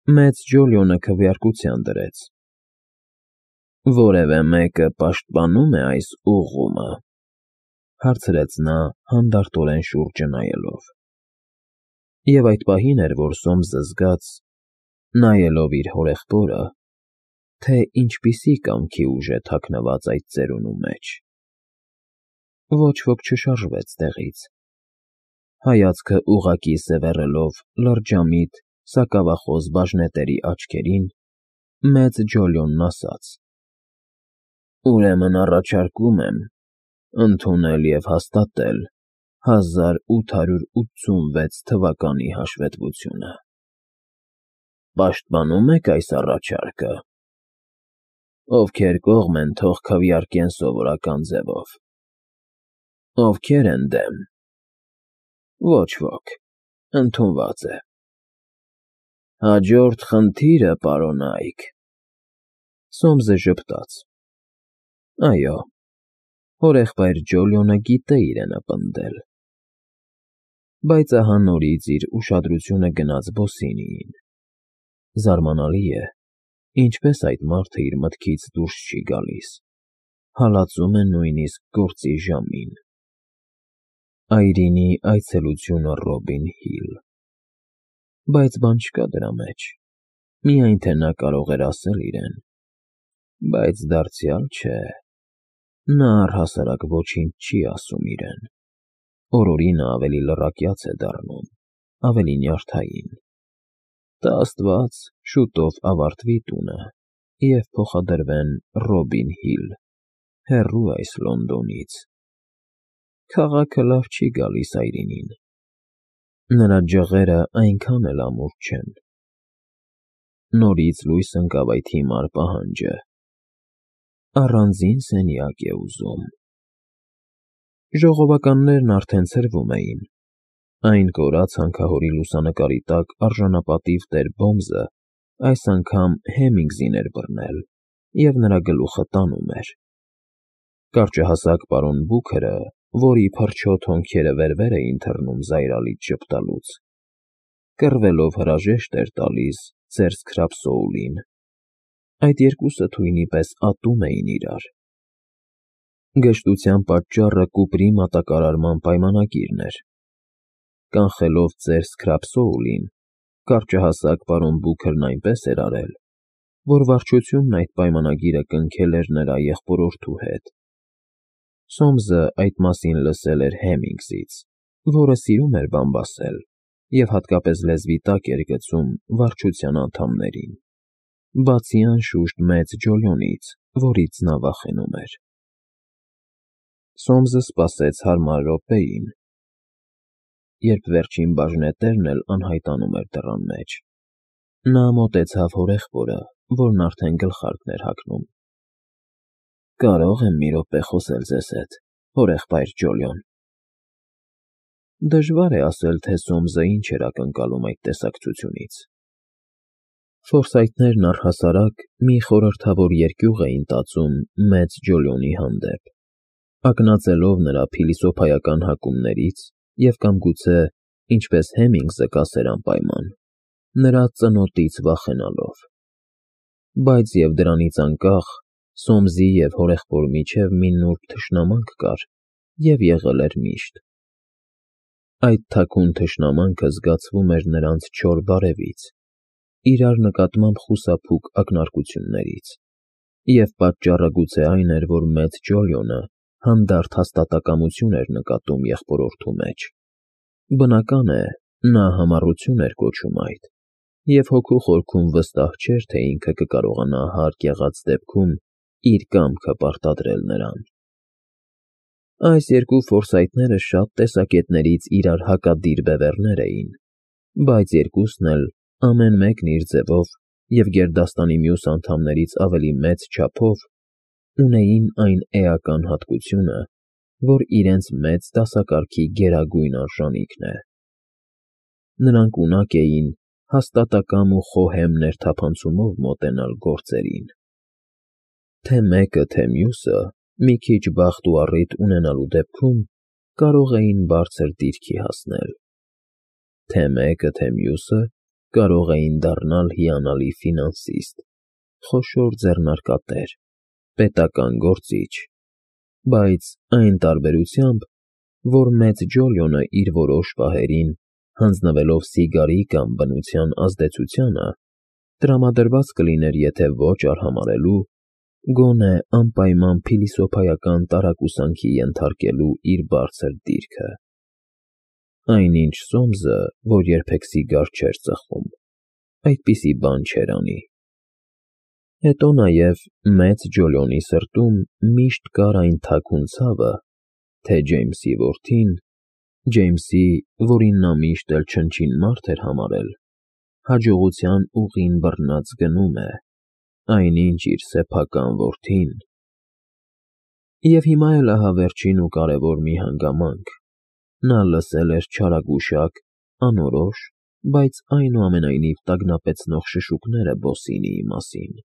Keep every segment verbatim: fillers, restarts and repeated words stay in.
Մեծ Ջոլիոնը քվեարկության դրեց։ ֊ Որևէ մեկը պաշտպանո՞ւմ է այս ուղղումը,֊ հարցրեց նա հանդարտորեն շուրջը նայելով։ Եվ այդ պահին էր, որ Սոմսը զգաց, նայելով իր հորեղբորը, թե ինչպիսի կամքի ուժ է թաքնված այդ ծերունու մեջ։ Ոչ ոք չշարժվեց տեղից։ Հայացքը ուղղակի սևեռելով լրջամիտ, սակավախոս բաժնետերի աչքերին, մեծ Ջոլիոնն ասաց. «Ուրեմն առաջարկում եմ ընդունել և հաստատել հազար ութ հարյուր ութսունվեց թվականի հաշվետվությունը։ Պաշտպանո՞ւմ եք այս առաջարկը։ Ովքեր կողմ են, թող քվեարկեն սովորական ձևով։ Ովքեր են դեմ։ Ոչ ոք, ընդունված է։ Հաջորդ խնդիրը, պարոնայք…» Սոմսը ժպտաց. այո, հորեղբայր Ջոլիոնը գիտե իրենը պնդել։ Բայց ահա նորից իր ուշադրությունը գնաց Բոսինիին։ Զարմանալի է, ինչպես այդ մարդը իր մտքից դուրս չի գալիս, հալածում է նույնիսկ գործի ժամին։ Այրինի այցելությունը Ռոբին Հիլ… Բայց բան չկա դրա մեջ, միայն թե նա կարող էր ասել իրեն, բայց դարձյալ չէ, նա առհասարակ ոչինչ չի ասում իրեն, օր֊օրի նա ավելի լռակյաց է դառնում, ավելի նյարդային։ Տա աստված, շուտով ավարտվի տունը և փոխադրվեն Ռոբին Հիլ, հեռու այս Լոնդոնից։ Քաղաքը լավ չի գալիս Այրինին, նրա ջղերը այնքան էլ ամուր չեն։ Նորից լույս ընկավ այդ հիմար պահանջը. առանձին սենյակ է ուզում։ Ժողովականներն արդեն ցրվում էին։ Այն կորած հանքահորի լուսանկարի տակ արժանապատիվ տեր Բոմզը այս անգամ Հեմինգսին էր բռնել և նրա գլուխը տանում էր։ Կարճահասակ պարոն Բուքերը, որի փռչոտ հոնքերը վեր֊վեր էին թռնում զայրալից ժպտալուց, կռվելով հրաժեշտ էր տալիս ձերձ Քրափսոուլին։ Այդ երկուսը թույնի պես ատում էին իրար։ Գժտության պատճառը կուպրի մատակարարման պայմանագիրն էր։ Կանխելով ձերձ Քրափսոուլին, կարճահասակ պարոն Բուքերն այնպես էր արել, որ վարչությունն այդ պայմանագիրը կնքել էր նրա եղբորորդու հետ։ Սոմսը այդ մասին լսել էր Հեմինգսից, որը սիրում էր բամբասել և հատկապես լեզվի տակ էր գցում վարչության անդամներին, բացի անշուշտ մեծ Ջոլիոնից, որից նա վախենում էր։ Սոմսը սպասեց հարմար րոպեին, երբ վերջին բաժնետերն էլ անհայտանում էր դռան մեջ։ Նա մոտեցավ հորեղբորը, որն արդեն գլխարկն էր հագնում։ «Կարո՞ղ եմ մի րոպե խոսել ձեզ հետ, հորեղբայր Ջոլիոն»։ Դժվար է ասել, թե Սոմսը ինչ էր ակնկալում այդ տեսակցությունից։ Ֆորսայթներն առհասարակ մի խորհրդավոր երկյուղ էին տածում մեծ Ջոլիոնի հանդեպ, ակնածելով նրա փիլիսոփայական հակումներից և կամ գուցե, ինչպես Հեմինգսը կասեր անպայման, նրա ծնոտից վախենալով։ Բայց և դրանից անկախ Սոմսի և հորեղբոր միջև մի նուրբ թշնամանք կար և եղել էր միշտ։ Այդ թաքուն թշնամանքը զգացվում էր նրանց չոր բարևից, իրար նկատմամբ խուսափուկ ակնարկություններից, և պատճառը գուցե այն էր, որ մեծ Ջոլիոնը հանդարտ հաստատակամություն էր նկատում եղբորորդու մեջ։ Բնական է, նա համառություն էր կոչում այդ, և հոգու խորքում վստահ չէր, թե ինքը կկարողանա հարկ եղած դեպքում իր կամքը պարտադրել նրան։ Այս երկու ֆորսայթները շատ տեսակետներից իրար հակադիր բևեռներ էին, բայց երկուսն էլ, ամեն մեկն իր ձևով և գերդաստանի մյուս անդամներից ավելի մեծ չափով, ունեին այն էական հատկությունը, որ իրենց մեծ դասակարգի գերագույն արժանիքն է։ Նրանք ունակ էին հաստատակամ ու խոհեմ ներթափանցումով մոտենալ գործերին։ Թե մեկը, թե մյուսը մի քիչ բախտ ու առիթ ունենալու դեպքում կարող էին բարձր դիրքի հասնել։ Թե մեկը, թե մյուսը կարող էին դառնալ հիանալի ֆինանսիստ, խոշոր ձեռնարկատեր, պետական գործիչ, բայց այն տարբերությամբ, որ մեծ Ջոլիոնը իր որոշ պահերին, հանձնվելով սիգարի կամ բնության ազդեցությանը, տրամադրված կլիներ եթե ոչ արհամարհելու, գոնե անպայման փիլիսոփայական տարակուսանքի ենթարկելու իր բարձր դիրքը։ Այնինչ Սոմսը, որ երբեք սիգար չէր ծխում, այդպիսի բան չէր անի։ Հետո նաև մեծ Ջոլիոնի սրտում միշտ կար այն թաքուն ցավը, թե Ջեյմսի որդին, Ջեյմսի, որին նա միշտ էլ չնչին մարդ էր համարել, հաջողության ուղին բռնած գնում է, այնինչ իր սեփական որդին… Եվ հիմա էլ ահա վերջին ու կարևոր մի հանգամանք. նա լսել էր չարագուշակ, անորոշ, բայց այնուամենայնիվ տագնապեցնող շշուկները Բոսինիի մասին։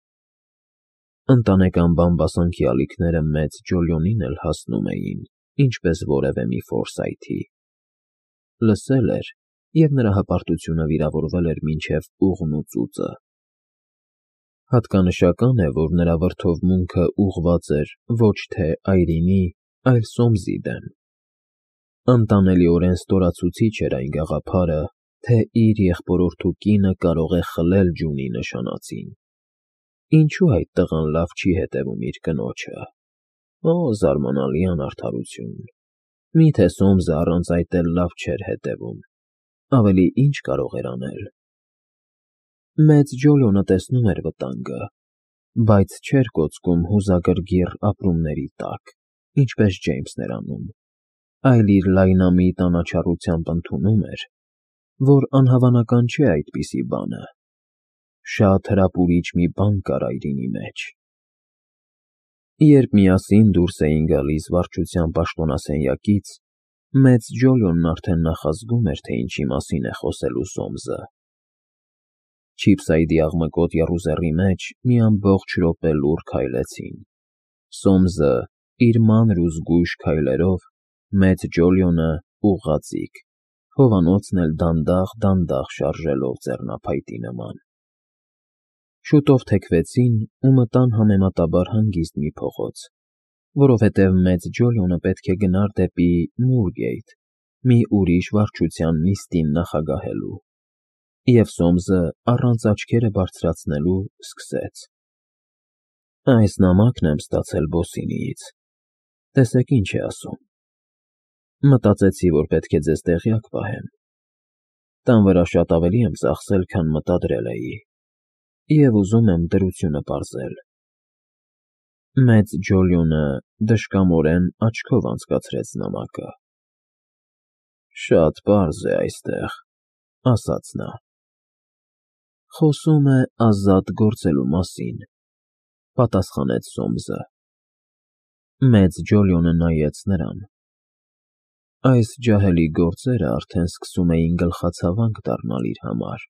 Ընտանեկան բամբասանքի ալիքները մեծ Ջոլիոնին էլ հասնում էին, ինչպես որևէ մի ֆորսայթի։ Լսել էր, և նրա հպարտությունը վիրավորվել էր մինչև ուղն ու ծուծը։ Հատկանշական է, որ նրա վրդովմունքը ուղղված էր ոչ թե այրինի, այլ Սոմսի դեմ։ Անտանելիորեն ստորացուցիչ էր այն գաղափարը, թե իր եղբորորդու կինը կարող է խլել Ջունի նշանածին։ Ինչո՞ւ այդ տղան լավ չի հետևում իր կնոջը։ Օ, զարմանալի անարդարություն… Մի՞թե Սոմսը առանց այդ էլ լավ չէր հետևում, ավելի ի՞նչ կարող էր անել։ Մեծ Ջոլիոնը տեսնում էր վտանգը, բայց չէր կոծկում հուզագրգիռ ապրումների տակ, ինչպես Ջեյմսն էր անում, այլ իր լայնամիտ անաչառությամբ ընդունում էր, որ անհավանական չէ այդպիսի բանը, շատ հրապուրիչ մի բան կար այրինի մեջ։ Երբ միասին դուրս էին գալիս վարչության պաշտոնասենյակից, մեծ Ջոլիոնն արդեն նախազգում էր, թե ինչի մասին է խոսելու Սոմսը։ Չիփսայդի աղմկոտ եռուզեռի մեջ մի ամբողջ րոպե լուռ քայլեցին. Սոմսը իր մանր ու զգույշ քայլերով, մեծ Ջոլիոնը՝ ուղղաձիգ, հովանոցն էլ դանդաղ֊դանդաղ շարժելով ձեռնափայտի նման։ Շուտով թեքվեցին ու մտան համեմատաբար հանգիստ մի փողոց, որովհետև մեծ Ջոլիոնը պետք է գնար դեպի Մուրգեյթ, մի ուրիշ վարչության նիստին նախագահելու, և Սոմսը առանց աչքերը բարձրացնելու սկսեց. Այս նամակն եմ ստացել Բոսինիից, տեսեք ինչ է ասում։ Մտածեցի, որ պետք է ձեզ տեղյակ պահեմ։ Տան վրա շատ ավելի եմ ծախսել, քան մտադրել էի, և ուզում եմ դրությունը պարզել։ Մեծ Ջոլիոնը դժկամորեն աչքով անցկացրեց նամակը։ Շատ պարզ է այստեղ, ասաց նա։ Խոսում է ազատ գործելու մասին, պատասխանեց Սոմսը։ Մեծ Ջոլիոնը նայեց նրան։ Այս ջահելի գործերը արդեն սկսում էին գլխացավանք դառնալ իր համար,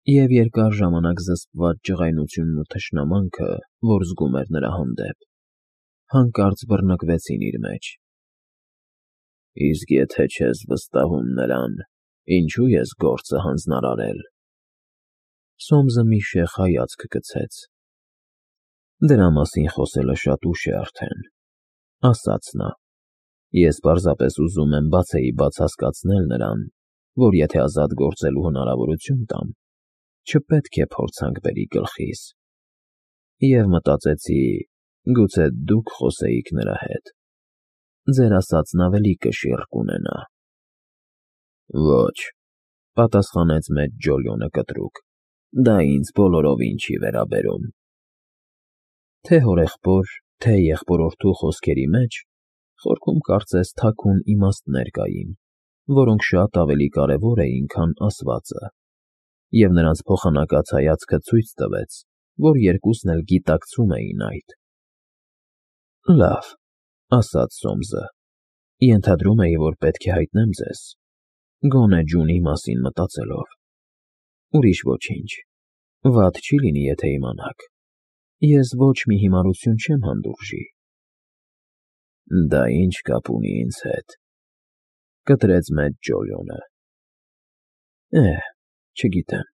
և երկար ժամանակ զսպված ջղայնությունն ու թշնամանքը, որ զգում էր նրա հանդեպ, հանկարծ բռնկվեցին իր մեջ։ Իսկ եթե չես վստահում նրան, ինչո՞ւ ես գործը հանձնարարել։ Սոմսը մի շեխ հայացք գցեց։ Դրա մասին խոսելը շատ ուշ է արդեն, ասաց նա։ Ես պարզապես ուզում եմ բացեիբաց հասկացնել նրան, որ եթե ազատ գործելու հնարավորություն տամ, չպետք է փորձանք բերի գլխիս։ Եվ մտածեցի, գուցե դուք խոսեիք նրա հետ, ձեր ասածն ավելի կշիռ կունենա։ Ոչ, պատասխանեց մեծ Ջոլիոնը կտրուկ, դա ինձ բոլորովին չի վերաբերում։ Թե հորեղբոր, թե եղբորորդու խոսքերի մեջ խորքում կարծես թաքուն իմաստներ կային, որոնք շատ ավելի կարևոր էին, քան ասվածը, և նրանց փոխանակած հայացքը ցույց տվեց, որ երկուսն էլ գիտակցում էին այդ։ Լավ, ասաց Սոմսը, ենթադրում էի, որ պետք է հայտնեմ ձեզ, գոնե Ջունի մասին մտածելով։ Ուրիշ ոչինչ, վատ չի լինի, եթե իմանաք, ես ոչ մի հիմարություն չեմ հանդուրժի։ Դա ինչ կապ ունի ինձ հետ, կտրեց մեծ Ջոլիոնը։ Էհ, Չգիտեմ,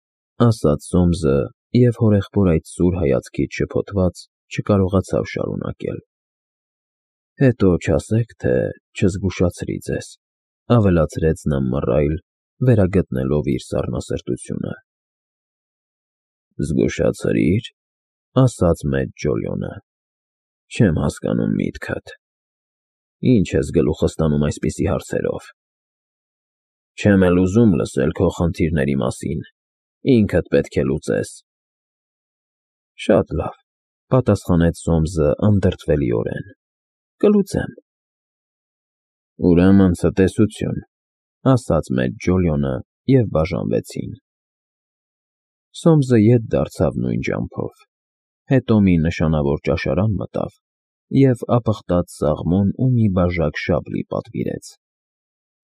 ասաց Սոմսը և հորեղբոր այդ սուր հայացքից շփոթված չկարողացավ շարունակել։ Հետո չասեք, թե չզգուշացրի ձեզ, ավելացրեց նա մռայլ, վերագտնելով իր սառնասրտությունը։ Զգուշացրի՞ր, ասաց մեծ Ջոլիոնը։ Չեմ հասկանում միտքդ։ Ինչ ես գլուխս տանում այսպիսի հարցերով։ Չեմ էլ ուզում լսել քո խնդիրների մասին, ինքդ պետք է լուծես։ Շատ լավ, պատասխանեց Սոմսը անդրդվելիորեն։ Կլուծեմ։ Ուրեմն ցտեսություն, ասաց մեծ Ջոլիոնը և բաժանվեցին։ Սոմսը ետ դարձավ նույն ջամփով, հետո մի նշանավոր ճաշարան մտավ և ապխտած սաղմոն ու մի բաժակ շաբլի պատվիրեց։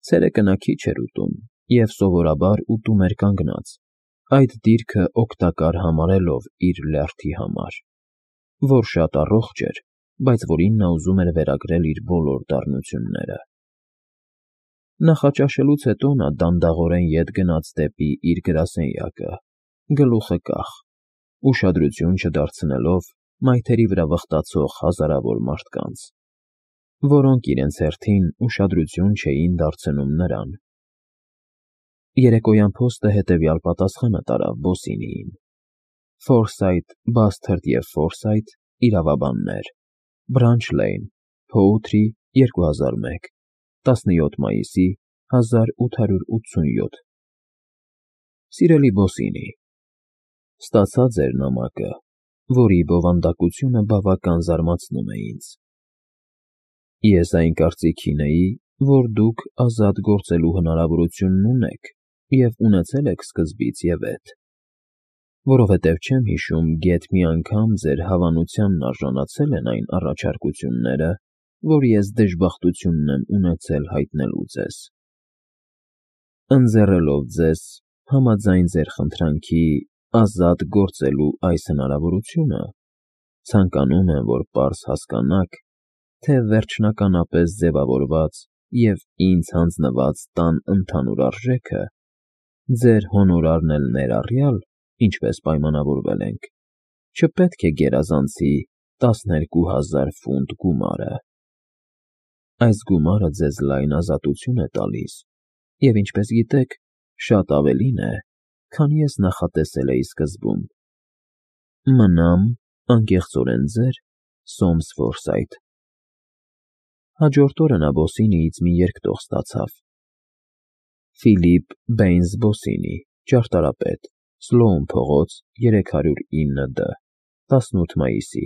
Ցերեկը նա քիչ էր ուտում և սովորաբար ուտում էր կանգնած, այդ դիրքը օգտակար համարելով իր լյարդի համար, որ շատ առողջ էր, բայց որին նա ուզում էր վերագրել իր բոլոր դառնությունները։ Նախաճաշելուց հետո նա դանդաղորեն ետ գնաց դեպի իր գրասենյակը, գլուխը կախ, ուշադրություն չդարձնելով մայթերի վրա վխտացող հազարավոր մարդկանց, որոնք իրենց հերթին ուշադրություն չէին դարձնում նրան։ Երեկոյան փոստը հետևյալ պատասխանը տարավ Բոսինիին. Ֆորսայթ, Բասթարդ և Ֆորսայթ, իրավաբաններ, Բրանչ Լեյն, Փոութրի, երկու հազար մեկ, տասնյոթ մայիսի հազար ութ հարյուր ութսունյոթ Սիրելի Բոսինի, ստացա ձեր նամակը, որի բովանդակությունը բավական զարմացնում է ինձ։ Ես այն կարծիքին էի, որ դուք ազատ գործելու հնարավորությունն ունեք և ունեցել եք սկզբից և էդ, որովհետև չեմ հիշում գեթ մի անգամ ձեր հավանությանն արժանացել են այն առաջարկությունները, որ ես դժբախտությունն եմ ունեցել հայտնելու ձեզ։ Ընձեռելով ձեզ, համաձայն ձեր խնդրանքի, ազատ գործելու այս հնարավորությունը, ցանկանում եմ, որ պարզ հասկանաք, թե վերջնականապես ձևավորված և ինձ հանձնված տան ընդհանուր արժեքը, ձեր հոնորարն էլ ներառյալ, ինչպես պայմանավորվել ենք, չպետք է գերազանցի տասներկու հազար ֆունտ գումարը։ Այս գումարը ձեզ լայն ազատություն է տալիս և, ինչպես գիտեք, շատ ավելին է, քան ես նախատեսել էի սկզբում։ Մնամ անկեղծորեն ձեր Սոմս Ֆորսայթ։ Հաջորդ օրը նա Բոսինիից մի երկտող ստացավ. Ֆիլիպ Բեյնս Բոսինի, ճարտարապետ, Սլոուն փողոց, երեք հարյուր ինը Դ, տասնութ մայիսի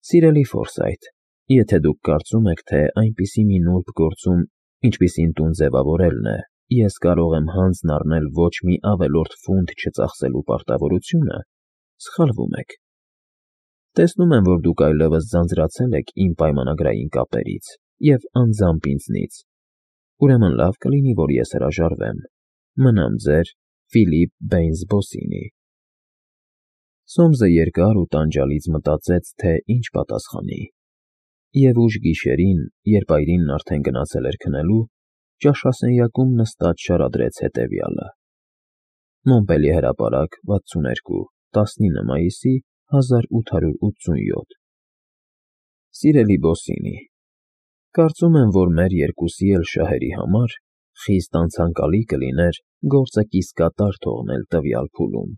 Սիրելի Ֆորսայթ, եթե դուք կարծում եք, թե այնպիսի մի նուրբ գործում, ինչպիսին տուն ձևավորելն է, ես կարող եմ հանձն առնել ոչ մի ավելորդ ֆունտ չծախսելու պարտավորությունը, սխալվում եք։ Տեսնում եմ, որ դուք այլևս ձանձրացել եք իմ պայմանագրային կապերից և անձամբ ինձնից, ուրեմն լավ կլինի, որ ես հրաժարվեմ։ Մնամ ձեր Ֆիլիպ Բեյնս Բոսինի։ Սոմսը երկար ու տանջալից մտածեց, թե ինչ պատասխանի, և ուշ գիշերին, երբ այրինն արդեն գնացել էր քնելու, ճաշասենյակում նստած շարադրեց հետևյալը. Մոնպելիե հրապարակ, վաթսուններկու, տասնինը մայիսի հազար ութ հարյուր ութսունյոթ Սիրելի Բոսինի, կարծում եմ, որ մեր երկուսի էլ շահերի համար խիստ անցանկալի կլիներ գործը կիսկատար թողնել տվյալ փուլում։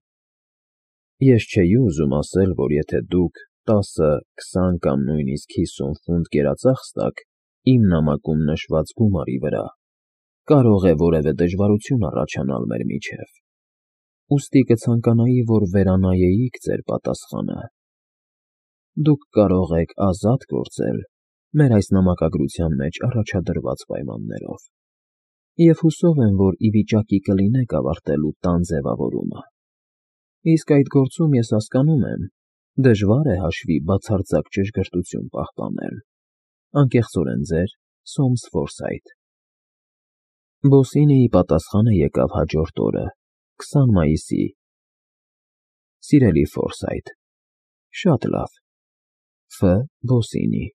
Ես չէի ուզում ասել, որ եթե դուք տասը, քսան կամ նույնիսկ հիսուն ֆունտ գերածախս տաք իմ նամակում նշված գումարի վրա, կարող է որևէ դժվարություն առաջանալ մեր միջև, ուստի կցանկանայի, որ վերանայեիք ձեր պատասխանը։ Դուք կարող եք ազատ գործել մեր այս նամակագրության մեջ առաջադրված պայմաններով, և հուսով եմ, որ ի վիճակի կլինեք ավարտելու տան ձևավորումը։ Իսկ այդ գործում, ես հասկանում եմ, դժվար է հաշվի բացարձակ ճշգրտություն պահպանել։ Անկեղծորեն ձեր Սոմս Ֆորսայթ։ Բոսինիի պատասխանը եկավ հաջորդ օրը, քսան մայիսի Սիրելի Ֆորսայթ, շատ լավ, Ֆ. Բոսինի։